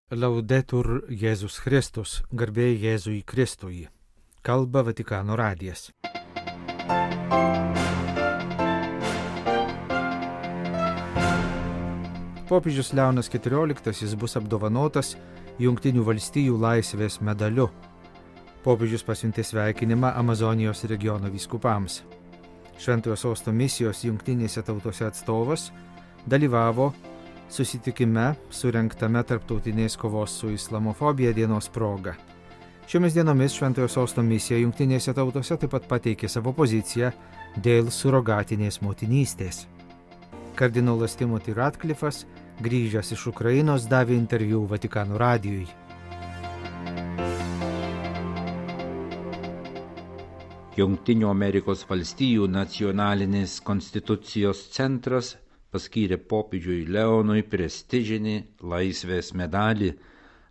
Laudetur Jėzus Kristus, garbė Jėzui Kristui. Kalba Vatikano radijas. Popiežius Leonas XIV bus apdovanotas Jungtinių valstijų laisvės medaliu. Popiežius pasiuntė sveikinimą Amazonijos regiono vyskupams. Šventojo Sosto misijos Jungtinėse tautose atstovas dalyvavo susitikime surengtame tarptautinės kovos su islamofobija dienos proga. Šiomis dienomis Šventojo Sosto misija Jungtinėse tautose taip pat pateikė savo poziciją dėl surogatinės motinystės. Kardinolas Timothy Ratcliffas, grįžęs iš Ukrainos, davė interviu Vatikano radijui. Jungtinių Amerikos valstijų nacionalinis konstitucijos centras paskyrė popiežiui Leonui prestižinį laisvės medalį.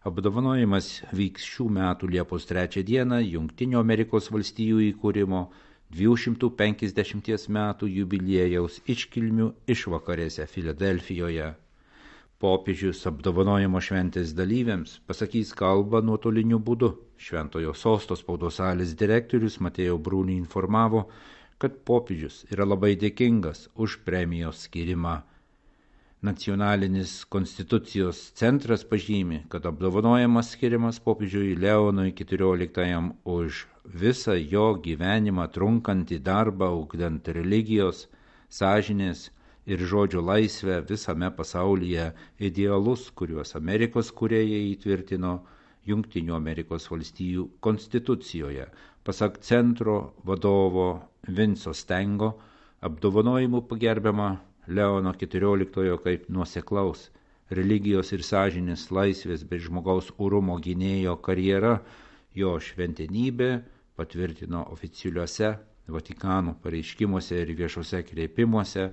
Apdovanojimas vyks šių metų Liepos 3 dieną Jungtinių Amerikos valstijų įkūrimo 250 metų jubiliejaus iškilmių išvakarėse Filadelfijoje. Popiežius apdovanojimo šventės dalyviams pasakys kalbą nuotoliniu būdu. Šventojo Sosto spaudos salės direktorius Mateo Bruni informavo, kad popiežius yra labai dėkingas už premijos skirimą. Nacionalinis konstitucijos centras pažymi, kad apdovanojimas skiriamas popiežiui Leonui XIV už visą jo gyvenimą trunkantį darbą ugdant religijos, sąžinės ir žodžio laisvę visame pasaulyje, idealus, kuriuos Amerikos kūrėjai įtvirtino Jungtinių Amerikos valstijų konstitucijoje. Pasak centro vadovo Vinco Stengo, apdovanojimu pagerbiama Leono XIV kaip nuoseklaus religijos ir sąžinės laisvės bei žmogaus orumo gynėjo karjera. Jo šventenybė patvirtino oficialiuose Vatikano pareiškimuose ir viešuose kreipimuose,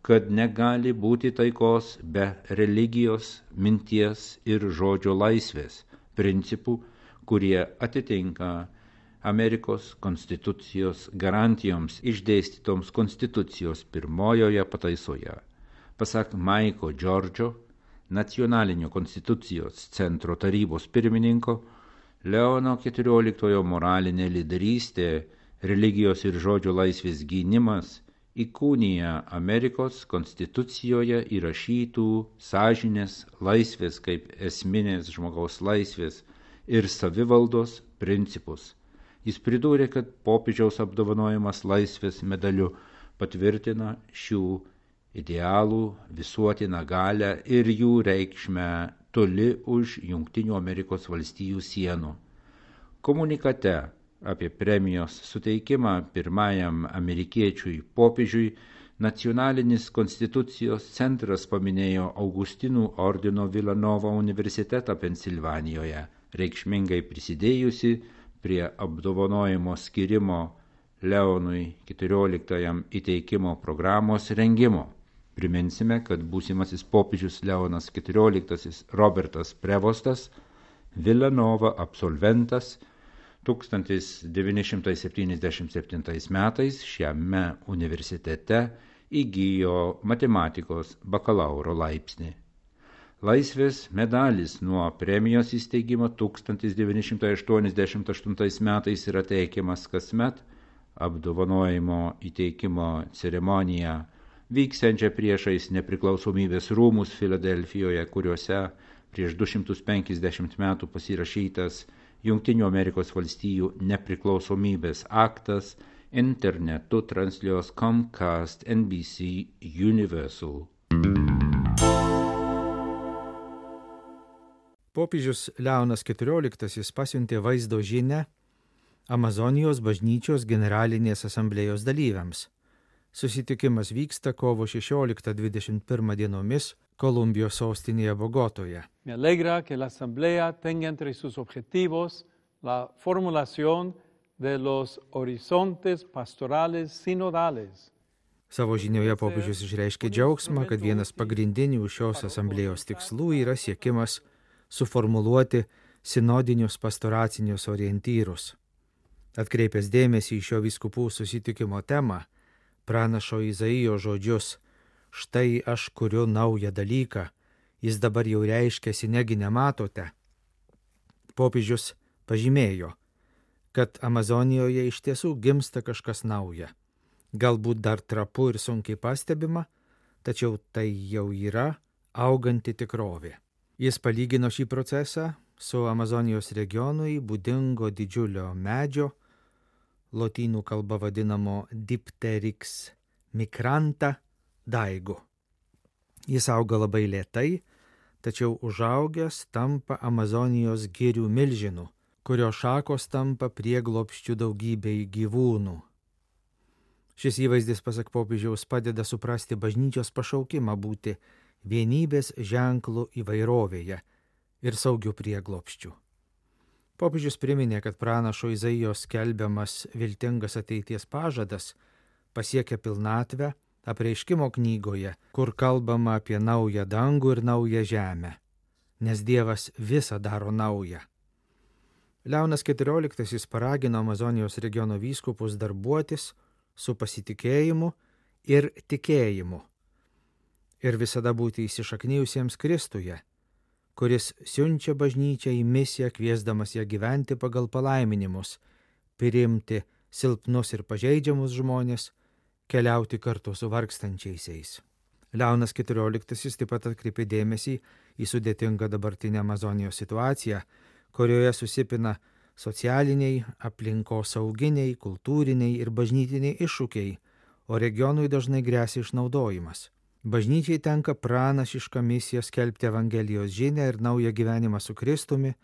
kad negali būti taikos be religijos, minties ir žodžio laisvės principų, kurie atitinka Amerikos konstitucijos garantijoms išdėstytoms konstitucijos pirmojoje pataisoje. Pasak Maiko Džordžo, nacionalinio konstitucijos centro tarybos pirmininko, Leono XIV moralinė lyderystė, religijos ir žodžio laisvės gynimas įkūnija Amerikos konstitucijoje įrašytų sąžinės laisvės kaip esminės žmogaus laisvės ir savivaldos principus. Jis pridūrė, kad popiežiaus apdovanojimas laisvės medaliu patvirtina šių idealų visuotiną galią ir jų reikšmę toli už Jungtinių Amerikos valstijų sienų. Komunikate apie premijos suteikimą pirmajam amerikiečiui popiežiui Nacionalinis konstitucijos centras paminėjo Augustinų ordino Vilanovo universitetą Pensilvanijoje, reikšmingai prisidėjusi prie apdovanojimo skirimo Leonui XIV įteikimo programos rengimo. Priminsime, kad būsimasis popiežius Leonas XIV Robertas Prevostas, Vilanova absolventas, 1977 metais šiame universitete įgijo matematikos bakalauro laipsnį. Laisvės medalis nuo premijos įsteigimo 1988 metais yra teikiamas kasmet. Apdovanojimo įteikimo ceremoniją vyksiančią priešais nepriklausomybės rūmus Filadelfijoje, kuriuose prieš 250 metų pasirašytas Jungtinių Amerikos valstijų nepriklausomybės aktas internetu transliuos Comcast NBC Universal. Popiežius Leonas XIV pasiuntė vaizdo žinią Amazonijos bažnyčios generalinės asamblėjos dalyviams. Susitikimas vyksta kovo 16-21 dienomis Kolumbijos sostinėje Bogotoje. Me alegra que la asamblea tenga entre sus objetivos la formulación de los horizontes pastorales sinodales. Savo žinioje popiežius išreiškė džiaugsmą, kad vienas pagrindinių šios asamblėjos tikslų yra siekimas suformuluoti sinodinius pastoracinius orientyrus. Atkreipęs dėmesį į šio vyskupų susitikimo temą, pranašo Izaijo žodžius: štai aš kuriu naują dalyką, jis dabar jau reiškiasi, negi nematote. Popiežius pažymėjo, kad Amazonijoje iš tiesų gimsta kažkas nauja. Galbūt dar trapu ir sunkiai pastebima, tačiau tai jau yra auganti tikrovė. Jis palygino šį procesą su Amazonijos regionui būdingo didžiulio medžio, lotynų kalba vadinamo Dipteryx migranta daigu. Jis auga labai lėtai, tačiau užaugęs tampa Amazonijos girių milžinų, kurio šakos tampa prieglobsčiu daugybei gyvūnų. Šis įvaizdis, pasak popiežiaus, padeda suprasti bažnyčios pašaukimą būti vienybės ženklų įvairovėje ir saugių prieglobsčių. Popiežius priminė, kad pranašo Izaijos skelbiamas viltingas ateities pažadas pasiekia pilnatvę Apreiškimo knygoje, kur kalbama apie naują dangų ir naują žemę, nes Dievas visą daro naują. Leonas XIV paragino Amazonijos regiono vyskupus darbuotis su pasitikėjimu ir tikėjimu ir visada būti įsišaknijusiems Kristuje, kuris siunčia bažnyčią į misiją, kviesdamas ją gyventi pagal palaiminimus, priimti silpnus ir pažeidžiamus žmonės, keliauti kartu su vargstančiaisiais. Leonas XIV taip pat atkreipė dėmesį į sudėtingą dabartinę Amazonijos situaciją, kurioje susipina socialiniai, aplinkosauginiai, kultūriniai ir bažnytiniai iššūkiai, o regionui dažnai gresia išnaudojimas. Bažnyčiai tenka pranašiška misija skelbti Evangelijos žinią ir naują gyvenimą su Kristumi,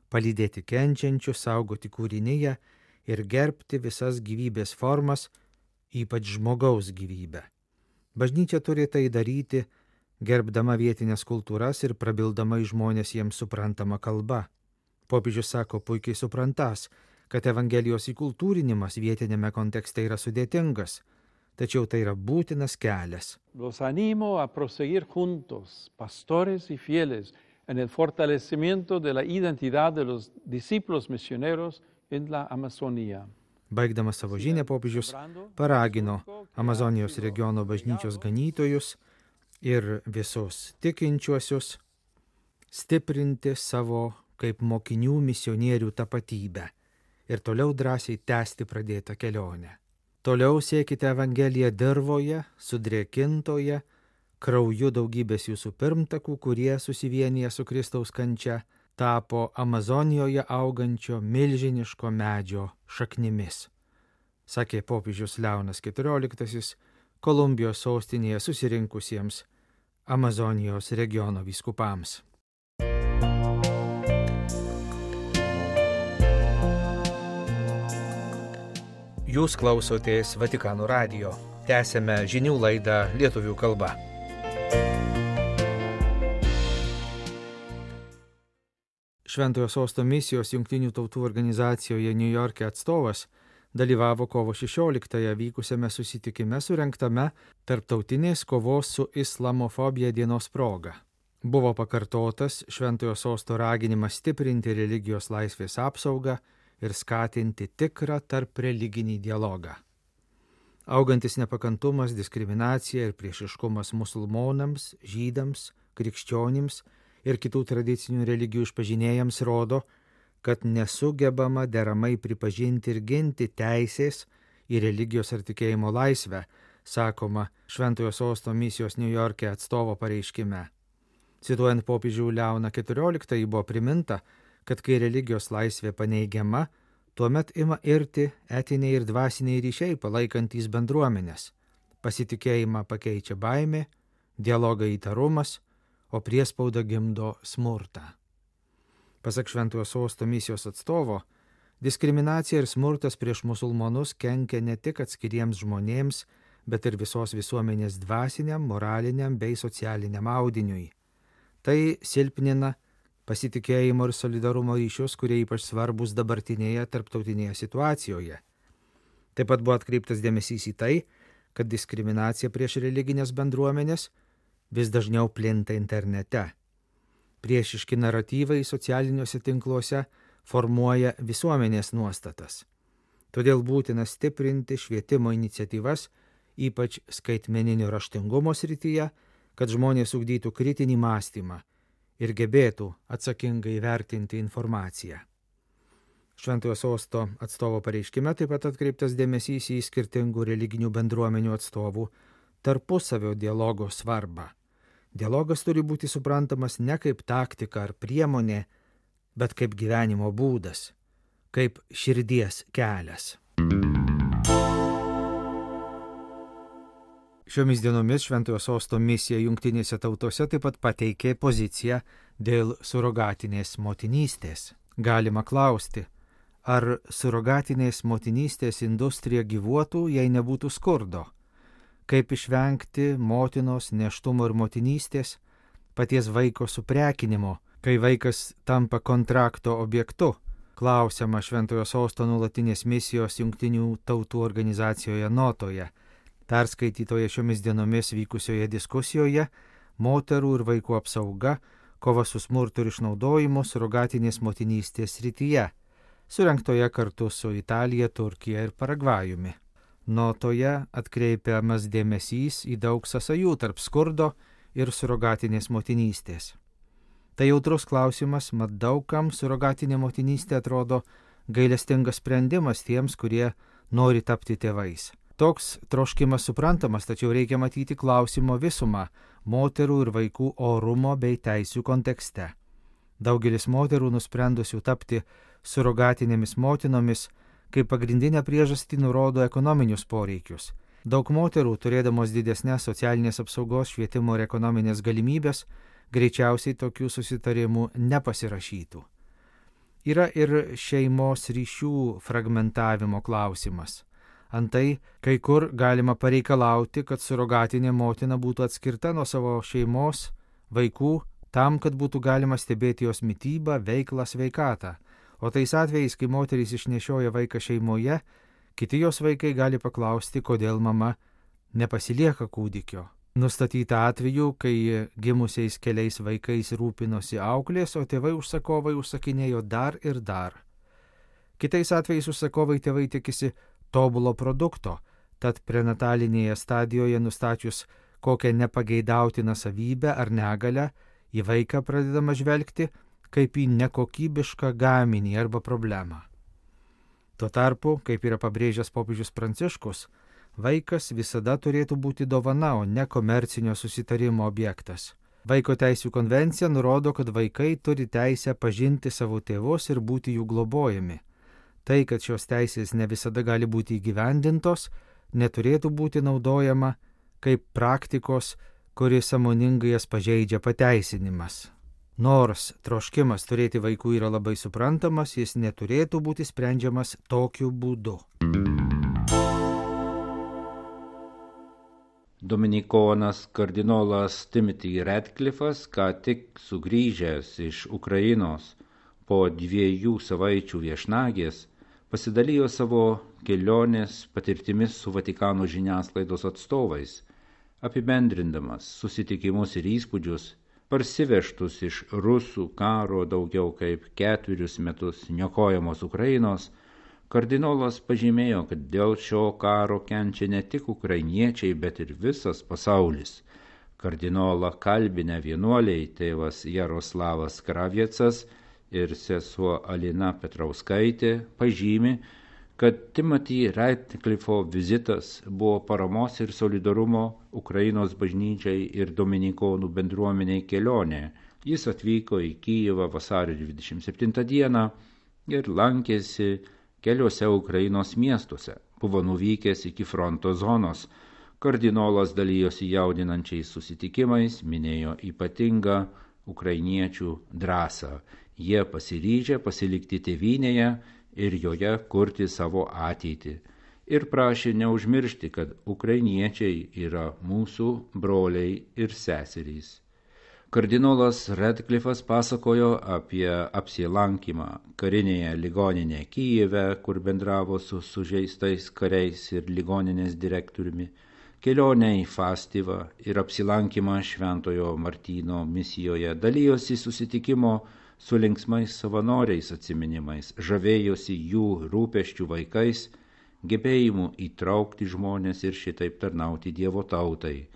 palydėti kenčiančius, saugoti kūriniją ir gerbti visas gyvybės formas, ypač žmogaus gyvybę. Bažnyčia turi tai daryti, gerbdama vietinės kultūras ir prabildama į žmonės jiems suprantamą kalbą. Popiežius sako puikiai suprantas, kad Evangelijos įkultūrinimas vietinėme kontekste yra sudėtingas, tačiau tai yra būtinas kelias. Los animo a proseguir juntos, pastores y fieles, en el fortalecimiento de la identidad de los discípulos misioneros en la Amazonía. Baigdamas savo žinią, popiežius paragino Amazonijos regiono bažnyčios ganytojus ir visus tikinčiuosius stiprinti savo kaip mokinių misionierių tapatybę ir toliau drąsiai tęsti pradėtą kelionę. Toliau siekite Evangeliją dirvoje, sudrėkintoje, krauju daugybės jūsų pirmtakų, kurie susivienyje su Kristaus kančia, tapo Amazonijoje augančio milžiniško medžio šaknimis, sakė popiežius Leonas XIV Kolumbijos sostinėje susirinkusiems Amazonijos regiono vyskupams. Jūs klausotės Vatikano radijo. Tęsėme žinių laidą lietuvių kalba. Šventojo Sosto misijos Jungtinių tautų organizacijoje Niujorke atstovas dalyvavo kovo 16-ąją vykusiame susitikime surengtame Tarptautinės kovos su islamofobija dienos proga. Buvo pakartotas Šventojo Sosto raginimas stiprinti religijos laisvės apsaugą ir skatinti tikrą tarp religinį dialogą. Augantis nepakantumas, diskriminacija ir priešiškumas musulmonams, žydams, krikščionims ir kitų tradicinių religijų išpažinėjams rodo, kad nesugebama deramai pripažinti ir ginti teisės į religijos ar tikėjimo laisvę, sakoma Šventojo Sosto misijos Niujorke atstovo pareiškime. Cituojant popiežių Leoną XIV buvo priminta, kad kai religijos laisvė paneigiama, tuomet ima irti etiniai ir dvasiniai ryšiai palaikantys bendruomenės. Pasitikėjimą pakeičia baimė, dialogą įtarumas, o priespauda gimdo smurtą. Pasak Šventojo Sosto misijos atstovo, diskriminacija ir smurtas prieš musulmonus kenkia ne tik atskiriems žmonėms, bet ir visos visuomenės dvasiniam, moraliniam bei socialiniam audiniui. Tai silpnina pasitikėjimo ir solidarumo ryšius, kurie ypač svarbus dabartinėje tarptautinėje situacijoje. Taip pat buvo atkreiptas dėmesys į tai, kad diskriminacija prieš religinės bendruomenės vis dažniau plinta internete. Priešiški naratyvai socialiniuose tinkluose formuoja visuomenės nuostatas. Todėl būtina stiprinti švietimo iniciatyvas, ypač skaitmeninio raštingumo srityje, kad žmonės ugdytų kritinį mąstymą ir gebėtų atsakingai vertinti informaciją. Šventojo sosto atstovo pareiškime taip pat atkreiptas dėmesys į skirtingų religinių bendruomenių atstovų tarpusavio dialogo svarbą. Dialogas turi būti suprantamas ne kaip taktika ar priemonė, bet kaip gyvenimo būdas, kaip širdies kelias. Šiomis dienomis Šventojo sosto misija Jungtinėse tautose taip pat pateikė poziciją dėl surogatinės motinystės. Galima klausti, ar surogatinės motinystės industrija gyvuotų, jei nebūtų skurdo? Kaip išvengti motinos nėštumo ir motinystės, paties vaiko suprekinimo, kai vaikas tampa kontrakto objektu? Klausiama Šventojo sosto nuolatinės misijos Jungtinių tautų organizacijoje notoje, perskaitytoje šiomis dienomis vykusioje diskusijoje moterų ir vaikų apsauga, kova su smurtu ir išnaudojimu surogatinės motinystės srityje, surengtoje kartu su Italija, Turkija ir Paragvajumi. Notoje atkreipiamas dėmesys į daug sąsajų tarp skurdo ir surogatinės motinystės. Tai jautrus klausimas, mat daugam surogatinė motinystė atrodo gailestingas sprendimas tiems, kurie nori tapti tėvais. Toks troškimas suprantamas, tačiau reikia matyti klausimo visumą moterų ir vaikų orumo bei teisių kontekste. Daugelis moterų nusprendusių tapti surogatinėmis motinomis kaip pagrindinę priežastį nurodo ekonominius poreikius. Daug moterų, turėdamos didesnės socialinės apsaugos, švietimo ir ekonominės galimybės, greičiausiai tokių susitarimų nepasirašytų. Yra ir šeimos ryšių fragmentavimo klausimas. Antai, kai kur galima pareikalauti, kad surogatinė motina būtų atskirta nuo savo šeimos, vaikų, tam, kad būtų galima stebėti jos mitybą, veiklą, sveikatą. O tais atvejais, kai moterys išnešioja vaiką šeimoje, kiti jos vaikai gali paklausti, kodėl mama nepasilieka kūdikio. Nustatyta atveju, kai gimusiais keliais vaikais rūpinosi auklės, o tėvai užsakovai užsakinėjo dar ir dar. Kitais atvejais užsakovai tėvai tikisi tobulo produkto, tad prenatalinėje stadijoje nustačius kokią nepageidautiną savybę ar negalę, į vaiką pradedama žvelgti kaip į nekokybišką gaminį arba problemą. Tuo tarpu, kaip yra pabrėžęs popiežius Pranciškus, vaikas visada turėtų būti dovana, o ne komercinio susitarimo objektas. Vaiko teisių konvencija nurodo, kad vaikai turi teisę pažinti savo tėvus ir būti jų globojami. Tai, kad šios teisės ne visada gali būti įgyvendintos, neturėtų būti naudojama kaip praktikos, kuri sąmoningai jas pažeidžia pateisinimas. Nors troškimas turėti vaikų yra labai suprantamas, jis neturėtų būti sprendžiamas tokiu būdu. Dominikonas kardinolas Timothy Radcliffas, ką tik sugrįžęs iš Ukrainos po 2 savaičių viešnagės, pasidalijo savo kelionės patirtimis su Vatikano žiniasklaidos atstovais, apibendrindamas susitikimus ir įspūdžius, parsivežtus iš rusų karo daugiau kaip 4 metus niokojamos Ukrainos. Kardinolas pažymėjo, kad dėl šio karo kenčia ne tik ukrainiečiai, bet ir visas pasaulis. Kardinolą kalbinę vienuoliai tėvas Jaroslavas Kraviecas ir sesuo Alina Petrauskaitė pažymi, kad Timothy Radcliffo vizitas buvo paramos ir solidarumo Ukrainos bažnyčiai ir dominikonų bendruomeniai kelionė. Jis atvyko į Kijevą vasario 27 dieną ir lankėsi keliuose Ukrainos miestuose. Buvo nuvykęs iki fronto zonos. Kardinolas dalijosi jaudinančiais susitikimais, minėjo ypatingą ukrainiečių drąsą. Jie pasiryžę pasilikti tėvynėje ir joje kurti savo ateitį. Ir prašė neužmiršti, kad ukrainiečiai yra mūsų broliai ir seserys. Kardinolas Radcliffas pasakojo apie apsilankymą karinėje ligoninėje Kijeve, kur bendravo su sužeistais kariais ir ligoninės direktoriumi, kelionę į Fastivą ir apsilankymą Šventojo Martyno misijoje, dalijosi susitikimo su linksmais savanoriais atsiminimais, žavėjosi jų rūpesčių vaikais, gebėjimu įtraukti žmonės ir šitaip tarnauti Dievo tautai.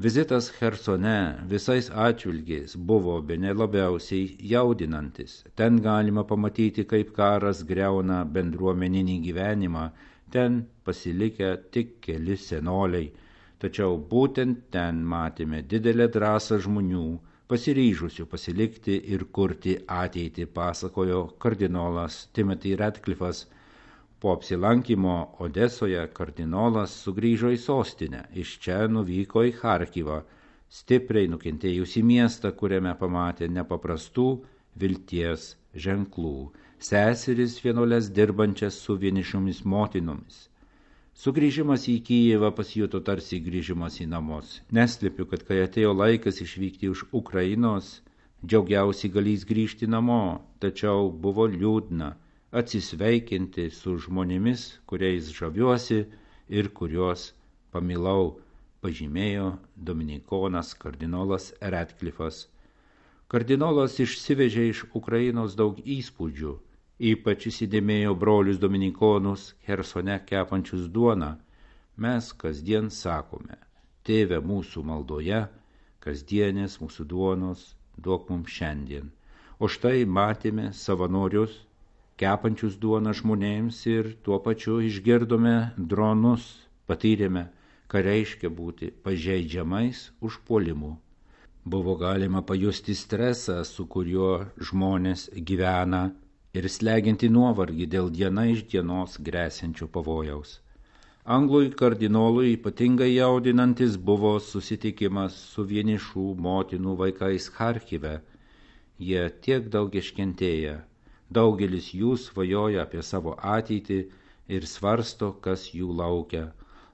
Vizitas Chersone visais atžvilgiais buvo bene labiausiai jaudinantis. Ten galima pamatyti, kaip karas griauna bendruomeninį gyvenimą, ten pasilikę tik keli senoliai. Tačiau būtent ten matėme didelę drąsą žmonių, pasiryžusių pasilikti ir kurti ateitį, pasakojo kardinolas Timothy Radcliffas. Po apsilankymo Odesoje kardinolas sugrįžo į sostinę, iš čia nuvyko į Charkivą, stipriai nukentėjusį miestą, kuriame pamatė nepaprastų vilties ženklų, seseris vienuoles dirbančias su vienišomis motinomis. Sugrįžimas į Kijevą pasijuto tarsi grįžimas į namus. Neslepiu, kad kai atėjo laikas išvykti už Ukrainos, džiaugiausiai galys grįžti namo, tačiau buvo liūdna atsisveikinti su žmonėmis, kuriais žaviuosi ir kuriuos pamilau, pažymėjo dominikonas kardinolas Radcliffas. Kardinolas išsivežė iš Ukrainos daug įspūdžių, ypač įsidėmėjo brolius dominikonus Chersone kepančius duoną. Mes kasdien sakome: Tėve mūsų maldoje, kasdienės mūsų duonos duok mums šiandien. O štai matėme savanorius kepančius duoną žmonėms ir tuo pačiu išgirdome dronus, patyrėme, ką reiškia būti pažeidžiamais užpuolimų. Buvo galima pajusti stresą, su kuriuo žmonės gyvena, ir slegianti nuovargį dėl diena iš dienos gresiančio pavojaus. Anglui kardinolui ypatingai jaudinantis buvo susitikimas su vienišų motinų vaikais Charkive. Jie tiek daug iškentėję. Daugelis jų svajoja apie savo ateitį ir svarsto, kas jų laukia.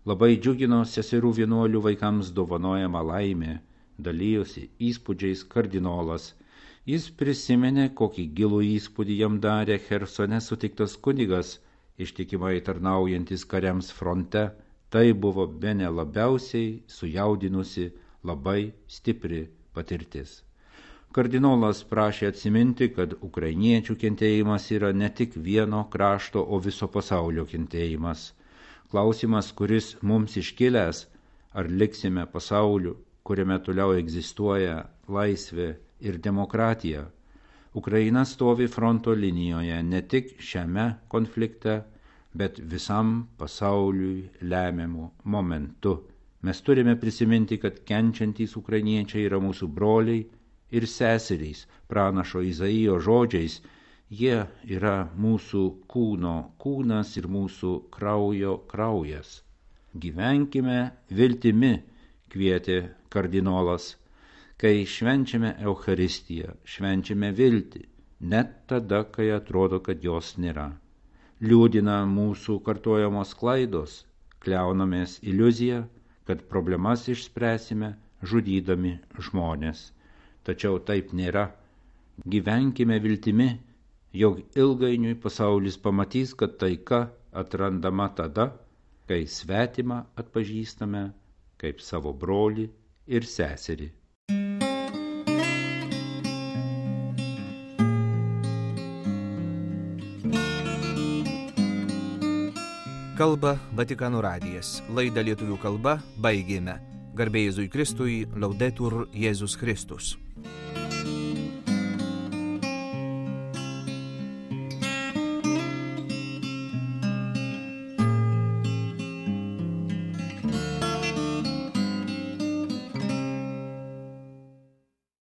Labai džiugino seserų vienuolių vaikams dovanojama laimė, dalijosi įspūdžiais kardinolas. Jis prisiminė, kokį gilų įspūdį jam darė Chersone sutiktas kunigas, ištikimai tarnaujantis kariams fronte. Tai buvo bene labiausiai sujaudinusi, labai stipri patirtis. Kardinolas prašė atsiminti, kad ukrainiečių kentėjimas yra ne tik vieno krašto, o viso pasaulio kentėjimas. Klausimas, kuris mums iškilęs, ar liksime pasauliu, kuriame toliau egzistuoja laisvė ir demokratija. Ukraina stovi fronto linijoje ne tik šiame konflikte, bet visam pasauliui lemiamu momentu. Mes turime prisiminti, kad kenčiantys ukrainiečiai yra mūsų broliai ir seserys, pranašo Izaijo žodžiais. Jie yra mūsų kūno kūnas ir mūsų kraujo kraujas. Gyvenkime viltimi, kvietė kardinolas. Kai švenčiame Eucharistiją, švenčiame viltį, net tada, kai atrodo, kad jos nėra. Liūdina mūsų kartojamos klaidos, kliaunamės iliuziją, kad problemas išspręsime žudydami žmonės. Tačiau taip nėra. Gyvenkime viltimi, jog ilgainiui pasaulis pamatys, kad taika atrandama tada, kai svetimą atpažįstame kaip savo brolį ir seserį. Kalba Vatikano radijas. Laidą lietuvių kalba baigėme. Garbė Jėzui Kristui, Laudetur Jėzus Kristus.